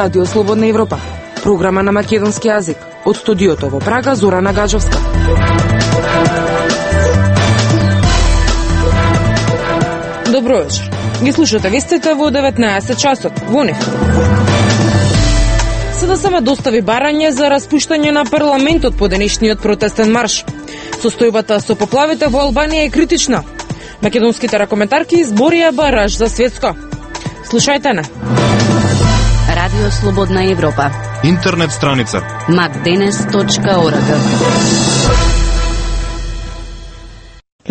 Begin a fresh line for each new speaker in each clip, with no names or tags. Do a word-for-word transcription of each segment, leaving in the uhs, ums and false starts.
Радио Слободна Европа, програма на македонски јазик. Од студиото во Прага, Зорана Гаджовска. Добро вечер. Ги слушате вестите во деветнаесет часот. Во нив. СДСМ достави барање за распуштање на парламентот по денешниот протестен марш. Состојбата со поплавите во Албанија е критична. Македонските ракометарки изборија бараж за светско. Слушајте на
Радио Слободна Европа.
Интернет страница
макденес точка орг.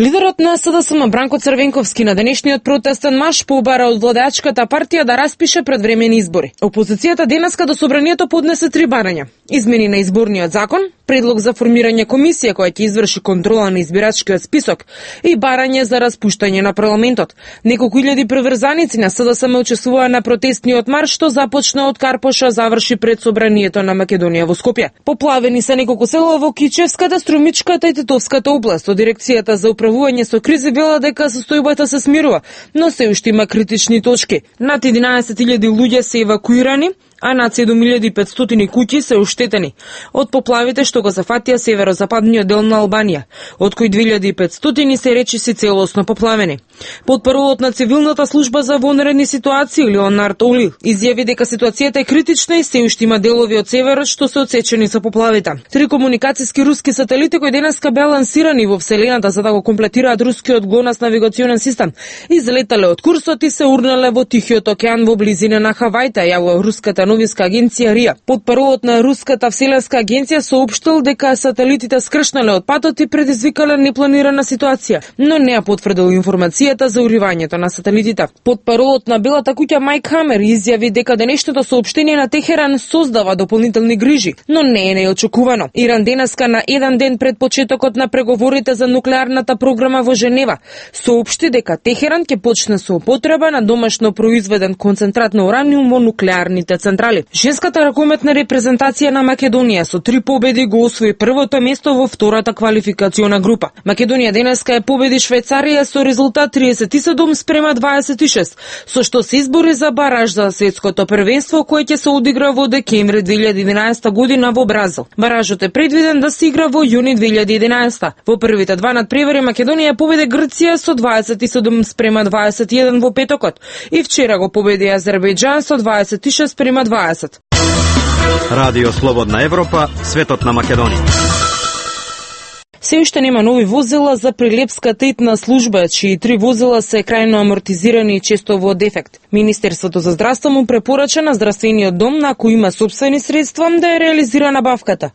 Лидерот на СДСМ Бранко Црвенковски на денешниот протестен марш побара од владеачката партија да распише предвремени избори. Опозицијата денеска до собранието поднесе три барања: измени на изборниот закон, предлог за формирање комисија која ќе изврши контрола на избирачкиот список и барање за распуштање на парламентот. Неколку илјади приврзаници на СДСМ учествуваа на протестниот марш, што започна од Карпоша, заврши пред собранието на Македонија во Скопје. Поплавени се неколку села во Кичевската, Струмичката и Тетовската област. Од дирекцијата за управување со кризи вела дека состојбата се смирува, но се уште има критични точки. Над единаесет илјади луѓе се евакуирани, а над седум илјади и петстотини куќи се уштетени од поплавите што го зафатија северозападниот дел на Албанија, од кои две илјади и петстотини се речиси целосно поплавени. Потпаролот на цивилната служба за вонредни ситуации Леонард Оли изјави дека ситуацијата е критична и се уште има делови од северот што се отсечени со поплавите. Три комуникациски руски сателити кои денеска беа лансирани во вселената за да го комплетираат рускиот ГЛОНАСС навигационен систем, излетале од курсот и се урнале во Тихиот океан во близина на Хавајта, јавува руската новинска агенција РИА. Потпаролот на руската вселенска агенција соопштил дека сателитите скршнале од патот и предизвикале непланирана ситуација, но не ја потврдил информацијата за уривањето на сателитите. Потпаролот на Белата куќа Мајк Хамер изјави дека денешното соопштение на Техеран создава дополнителни грижи, но не е неочекувано. Иран денеска на еден ден пред почетокот на преговорите за нуклеарната програма во Женева соопшти дека Техеран ќе почне со употреба на домашно произведен концентрат на ураниум во нуклеарните централи. Женската ракометна репрезентација на Македонија со три победи го освои првото место во втората квалификациона група. Македонија денеска ја победи Швајцарија со резултат триесет и седум спрема дваесет и шест, со што се избори за бараж за светското првенство кој ќе се одигра во декември две илјади и единаесета година во Бразил. Баражот е предвиден да се игра во јуни две илјади и единаесета. Во првите два надпревари Македонија победи Грција со дваесет и седум спрема дваесет и еден во петокот и вчера го победи Азербејџан со дваесет и шест спрема дваесет.
Радио Слободна Европа, светот на Македонија.
Се уште нема нови возила за прилепската итна служба, чии три возила се крајно амортизирани и често во дефект. Министерството за здравство му препорача на здравствениот дом, на кој има сопствени средства, да ја реализира набавката.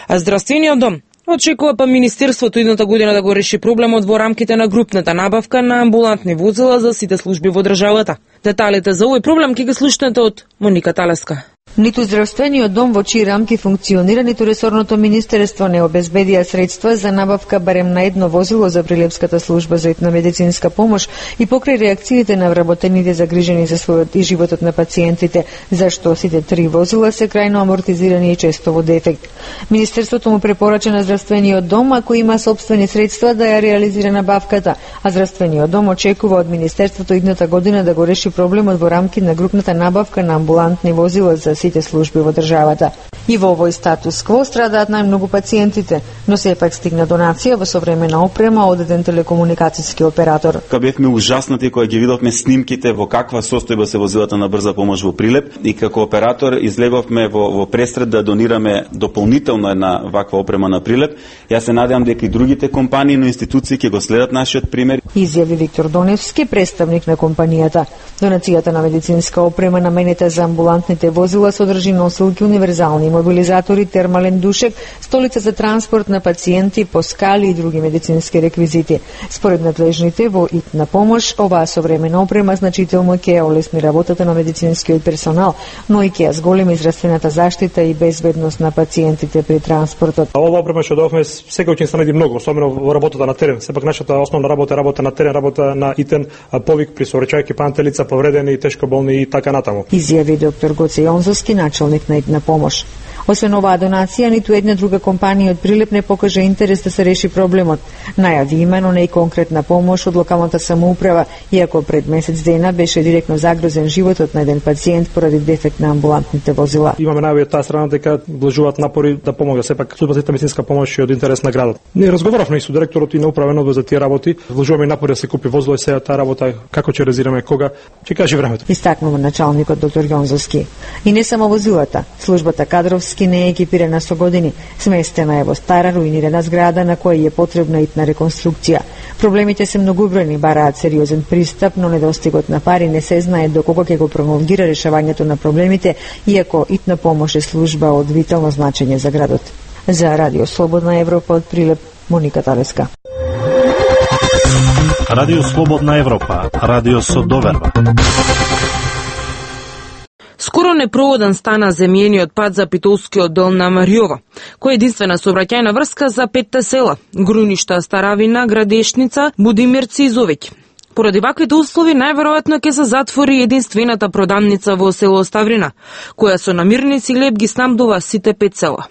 А здравствениот дом очекува па Министерството идната година да го реши проблемот во рамките на групната набавка на амбулантни возила за сите служби во државата. Деталите за овој проблем ќе ги слушнете од Моника Талеска.
Ниту здравствениот дом во чии рамки функционира, ниту ресорното министерство не обезбедија средства за набавка барем на едно возило за прилепската служба за итна медицинска помош и покрај реакциите на вработените загрижени за својот и животот на пациентите, зашто сите три возила се крајно амортизирани и често во дефект. Министерството му препорача на здравствениот дом, ако има сопствени средства, да ја реализира набавката, а здравствениот дом очекува од министерството идната година да го реши проблемот во рамки на групната набавка на амбулантни возила за сите служби во државата. И во овој статус кво страдаат најмногу пациентите, но сепак стигна донација во современа опрема од еден телекомуникацијски оператор.
Кога бевме ужаснати кога ги видовме снимките во каква состојба се возилата на брза помош во Прилеп, и како оператор излеговме во, во пресред да донираме дополнително една ваква опрема на Прилеп. Јас се надевам дека и другите компании, но институции ќе го следат нашиот пример.
Изјави Виктор Доневски, представник на компанијата. Донацијата на медицинска опрема наменета за амбулантните возила содржи носилки, универзални мобилизатори, термален душек, столица за транспорт на пациенти, поскали и други медицински реквизити. Според надлежните во итна помош, оваа современа опрема значително ќе олесни работата на медицинскиот персонал, но и ќе ја зголеми здравствената заштита и безбедност на пациентите при транспортот.
Ова опрема што добавме секој ќе најде многу, особено во работата на терен. Сепак нашата основна работа е работа на терен, работа на итен повик при сообраќајки пантелица, повредени, тешко болни и така натаму.
Изјави доктор Гоце Јонзовски, началник на итна помош. Освен оваа донација, ниту една друга компанија од Прилеп не покажа интерес да се реши проблемот. Најави има, но не и конкретна помош од локалната самоуправа, иако пред месец дена беше директно загрозен животот на еден пациент поради дефект на амбулантните возила.
Имаме најави од таа страна дека вложуваат напори да помога. Сепак службата за медицинска помош е од интерес на градот. Ние разговаравме и со директорот и на управен одбор за тие работи. Вложуваме напори да се купи возило и сега таа работа како ќе резираме, кога ќе каже времето.
Истакнува началникот доктор Јонзовски. И не само возилата, службата кадровски не е екипирана со години. Сместена е во стара руинирана зграда на која е потребна итна реконструкција. Проблемите се многобројни, бараат сериозен пристап, но недостигот на пари не се знае доколку ќе го промолгира решавањето на проблемите, иако итна помош е служба од витално значење за градот. За Радио Слободна Европа од Прилеп, Моника Талеска.
Радио Слободна Европа, радио со доверба.
Скоро непроводен стана земјениот пат за Питолскиот дел на Мариово, кој е единствена сообраќајна врска за петте села: Груништа, Старавина, Градешница, Будимирци и Зовеќ. Поради ваквите услови, најверојатно ќе се затвори единствената продавница во село Ставрина, која со намирници и леб ги снабдува сите пет села.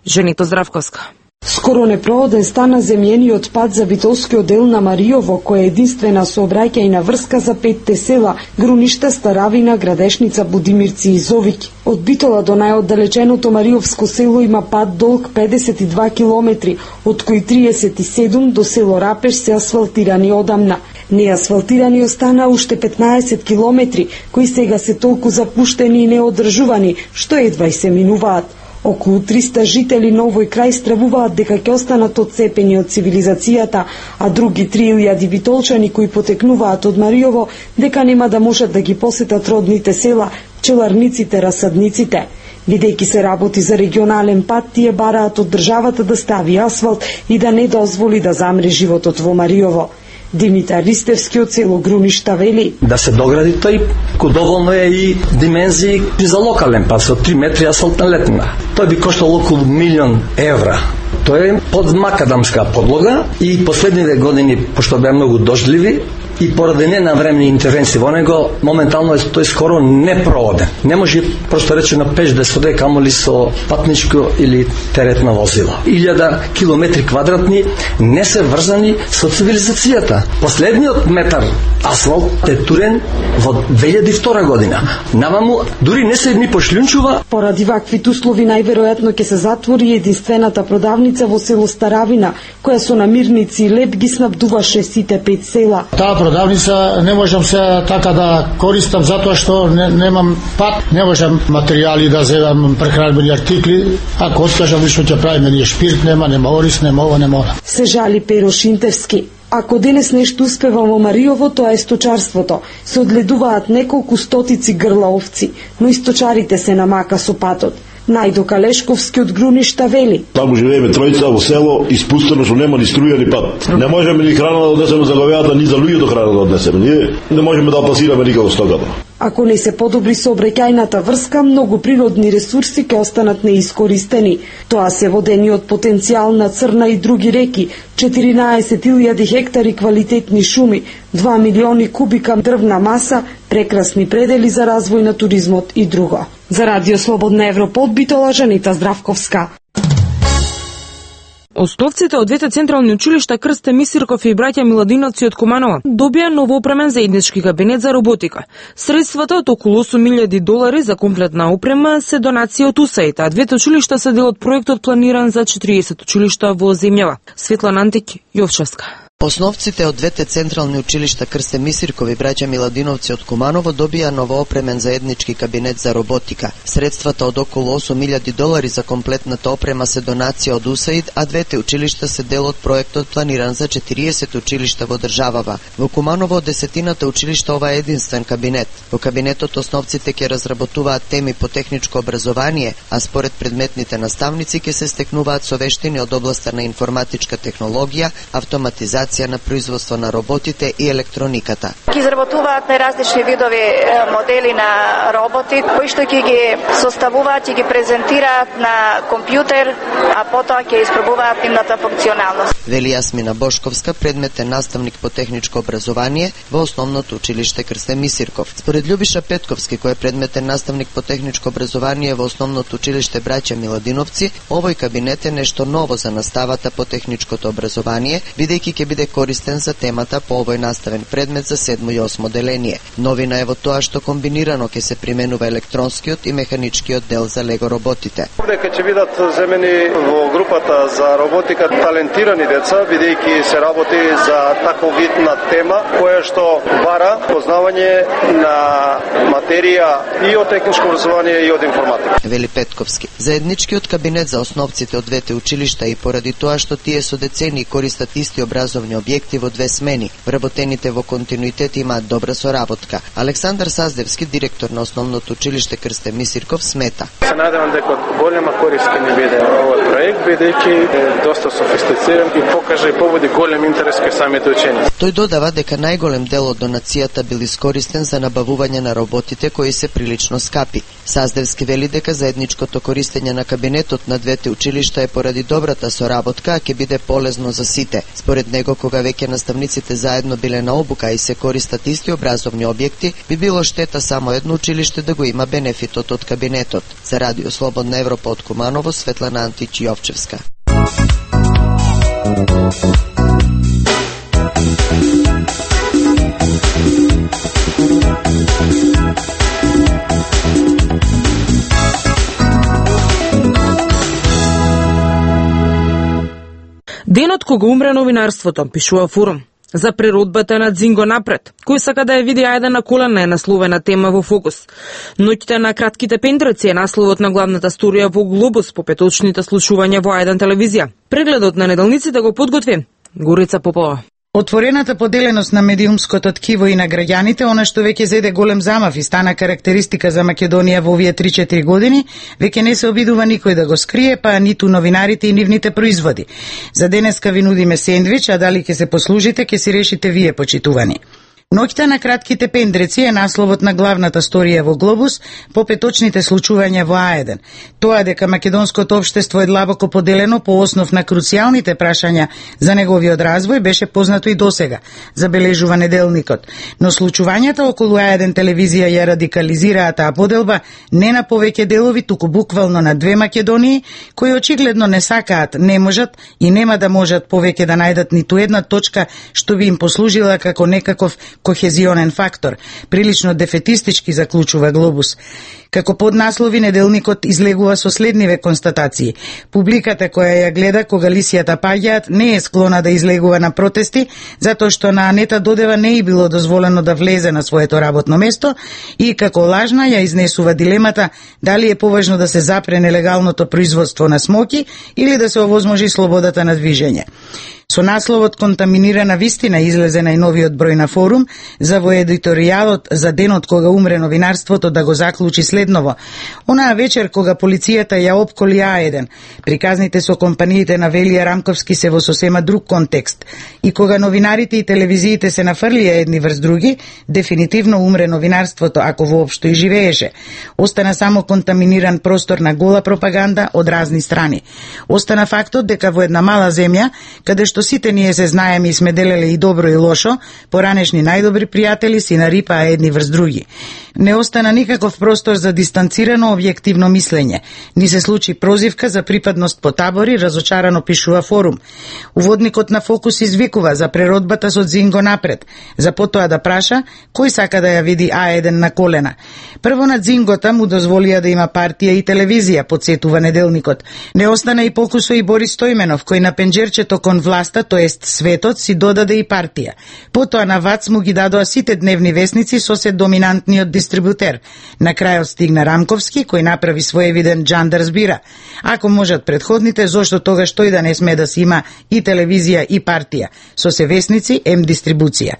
Женито Здравковска.
Скоро непроводен стана земјениот пат за Битолскиот дел на Мариово, која е единствена сообраќајна врска за петте села: Груништа, Старавина, Градешница, Будимирци и Зовиќ. Од Битола до најоддалеченото Мариовско село има пат долг педесет и два километри, од кои триесет и седум до село Рапеш се асфалтирани одамна. Неасфалтирани остана уште петнаесет километри, кои сега се толку запуштени и неодржувани, што едва и се минуваат. Околу триста жители на овој крај стравуваат дека ќе останат одцепени од цивилизацијата, а други три илјади битолчани кои потекнуваат од Мариово дека нема да можат да ги посетат родните села, пчеларниците, расадниците. Бидејќи се работи за регионален пат, тие бараат од државата да стави асфалт и да не дозволи да замре животот во Мариово. Димитар Ристевски од село Груништа вели:
да се догради тој, кој доволно е и димензии за локален пат со три метри асфалтна летина. Тој би коштал околу милион евра. Тој е под макадамска подлога и последните години, пошто беа многу дождливи и поради ненавремени интервенции во него, моментално е тој скоро непроводен. Не може просто речено пеш да се оде, камоли со патничко или теретно возило. Илјада километри квадратни не се врзани со цивилизацијата. Последниот метар асфалт е турен во две илјади и втора година. Наваму дури не се ни пошлјунчува.
Поради ваквите услови најверојатно ќе се затвори единствената продавница во село Старавина, која со намирници и леб ги снабдуваше сите пет села.
Таа продавница не можам се така да користам затоа што не, немам пат, не можам материјали да земам, прехранбени артикли. Ако откажам лично ќе правиме ние шпирт, нема, нема орис, нема ова, нема ова.
Се жали Перо Шинтевски. Ако денес нешто успева во Мариово, тоа е сточарството. Се одледуваат неколку стотици грла овци, но и сточарите се намака со патот. Најдо Калешковски од Груништа вели:
таму живееме тројца во село, испустено што нема ни струја ни пат. Не можеме ни храна да однесеме за говеата, ни за луѓето храна да однесеме. Ние не можеме да пасираме никако стоката. Ако
не се подобри сообраќајната врска, многу природни ресурси ќе останат неискористени. Тоа се водениот потенцијал на Црна и други реки, четиринаесет илјади хектари квалитетни шуми, два милиони кубика дрвна маса, прекрасни предели за развој на туризмот и друго. За Радио Слободна Европа од Битола, Женита Здравковска.
Основците од двете централни училишта Крсте Мисирков и браќа Миладиновци од Куманова добија новоопремен заеднички кабинет за роботика. Средствата од околу осум илјади долари за комплетна опрема се донација од УСАИД, а двете училишта се дел од проектот планиран за четириесет училишта во земјава. Светлана Антик, Јовчевска.
Основците од двете централни училишта Крсте Мисирков и браќа Миладиновци од Куманово добија новоопремен заеднички кабинет за роботика. Средствата од околу осум илјади долари за комплетната опрема се донација од УСАИД, а двете училишта се дел од проектот планиран за четириесет училишта во државава. Во Куманово од десетината училишта ова е единствен кабинет. Во кабинетот основците ќе разработуваат теми по техничко образование, а според предметните наставници ќе се стекнуваат со вештини од областа на информатичка технологија, автоматизација интеграција на производство на роботите и електрониката.
Ќе изработуваат најразлични видови модели на роботи, кои што ќе ги составуваат и ги презентираат на компјутер, а потоа ќе испробуваат нивната функционалност.
Вели Јасмина Бошковска, предметен наставник по техничко образование во основното училиште Крсте Мисирков. Според Љубиша Петковски, кој е предметен наставник по техничко образование во основното училиште Браќа Миладиновци, овој кабинет е нешто ново за наставата по техничкото образование, бидејќи ќе биде користен за темата по овој наставен предмет за седмо и осмо деление. Новина е во тоа што комбинирано ќе се применува електронскиот и механичкиот дел за лего роботите.
Дека ќе бидат земени во групата за роботика талентирани деца, бидејќи се работи за таков вид на тема која што бара познавање на материја и од техничко образование и од информатика.
Вели Петковски. Заедничкиот кабинет за основците од двете училишта и поради тоа што тие со децени користат исти образовни објекти во две смени, вработените во континуитет имаат добра соработка. Александар Саздевски, директор на основното училиште Крсте Мисирков, смета.
Се надевам дека голема корист ќе ни биде овој проект, бидејќи е доста софистициран и покаже и поводи голем интерес кај самите ученици.
Тој додава дека најголем дел од донацијата бил искористен за набавување на роботите кои се прилично скапи. Саздевски вели дека заедничкото користење на кабинетот на двете училишта е поради добрата соработка, а ќе биде полезно за сите. Според него, кога веќе наставниците заедно биле на обука и се користат исти образовни објекти, би било штета само едно училиште да го има бенефитот од кабинетот. За Радио Слободна Европа од Куманово, Светлана Антич Јовчевска.
Денот кога умре новинарството, пишува Форум. За природбата на Дзинго напред, кој сака да ја види Ајден на колена е насловена тема во Фокус. Ноќите на кратките пендреци е насловот на главната сторија во Глобус по петочните слушувања во Ајден телевизија. Прегледот на неделниците го подготви Горица Попова.
Отворената поделеност на медиумското ткиво и на граѓаните, она што веќе зеде голем замав и стана карактеристика за Македонија во овие три-четири години, веќе не се обидува никој да го скрие, па ниту новинарите и нивните производи. За денеска ви нудиме сендвич, а дали ќе се послужите, ќе си решите вие, почитувани. Ноќта на кратките пендреци е насловот на главната сторија во Глобус по петочните случувања во Аеден. Тоа дека македонското општество е длабоко поделено по основ на круцијалните прашања за неговиот развој беше познато и досега, забележува неделникот. Но случувањата околу Аеден телевизија ја радикализираа таа поделба не на повеќе делови, туку буквално на две Македонии, кои очигледно не сакаат, не можат и нема да можат повеќе да најдат ниту една точка што би им послужила како некаков кохезионен фактор, прилично дефетистички заклучува Глобус. Како поднаслови неделникот излегува со следниве констатации. Публиката која ја гледа кога лисијата паѓаат не е склона да излегува на протести, затоа што на Анета Додева не е било дозволено да влезе на своето работно место и како лажна ја изнесува дилемата дали е поважно да се запре нелегалното производство на смоки или да се овозможи слободата на движење. Со насловот "Контаминирана вистина" излезе најновиот број на Форум за во едиторијалот за денот кога умре новинарството да го заклучи следново. Онаа вечер кога полицијата ја опколи Аеден, приказните со компаниите на Велија Рамковски се во сосема друг контекст. И кога новинарите и телевизиите се нафрлија едни врз други, дефинитивно умре новинарството, ако воопшто и живееше. Остана само контаминиран простор на гола пропаганда од разни страни. Остана фактот дека во една мала земја, каде што сите ние се знаеме и сме делеле и добро и лошо, поранешни најдобри пријатели си нарипаа едни врз други. Не остана никаков простор за дистанцирано објективно мислење. Ни се случи прозивка за припадност по табори, разочарано пишува Форум. Уводникот на Фокус извикува за преродбата со Дзинго напред, за потоа да праша кој сака да ја види Аеден на колена. Прво на Дзингота му дозволија да има партија и телевизија, подсетува неделникот. Не остана и покусо и Борис Стојменов, кој на пенџерчето кон власта, тоест светот, си додаде и партија. Потоа на ВАЦ му ги дадоа сите дневни весници со се доминантниот дистрибутер. На крајот стигна Рамковски, кој направи своевиден джандар збира. Ако можат предходните, зошто тогаш тој да не сме да си има и телевизија и партија, со се весници, ем дистрибуција.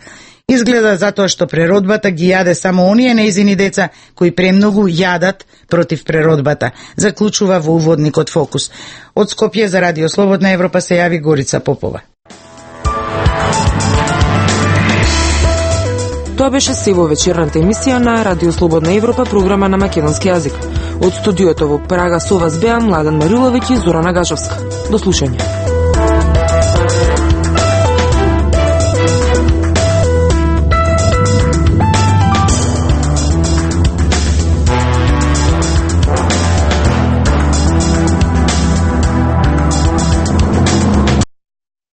Изгледа затоа што преродбата ги јаде само оние нејзини деца кои премногу јадат против преродбата, заклучува во уводникот Фокус. Од Скопје за Радио Слободна Европа се јави Горица Попова.
Тоа беше се во вечерната емисија на Радио Слободна Европа, програма на македонски јазик. Од студиото во Прага со вас беа Младен Мариловиќ и Зорана Гажовска. До слушање.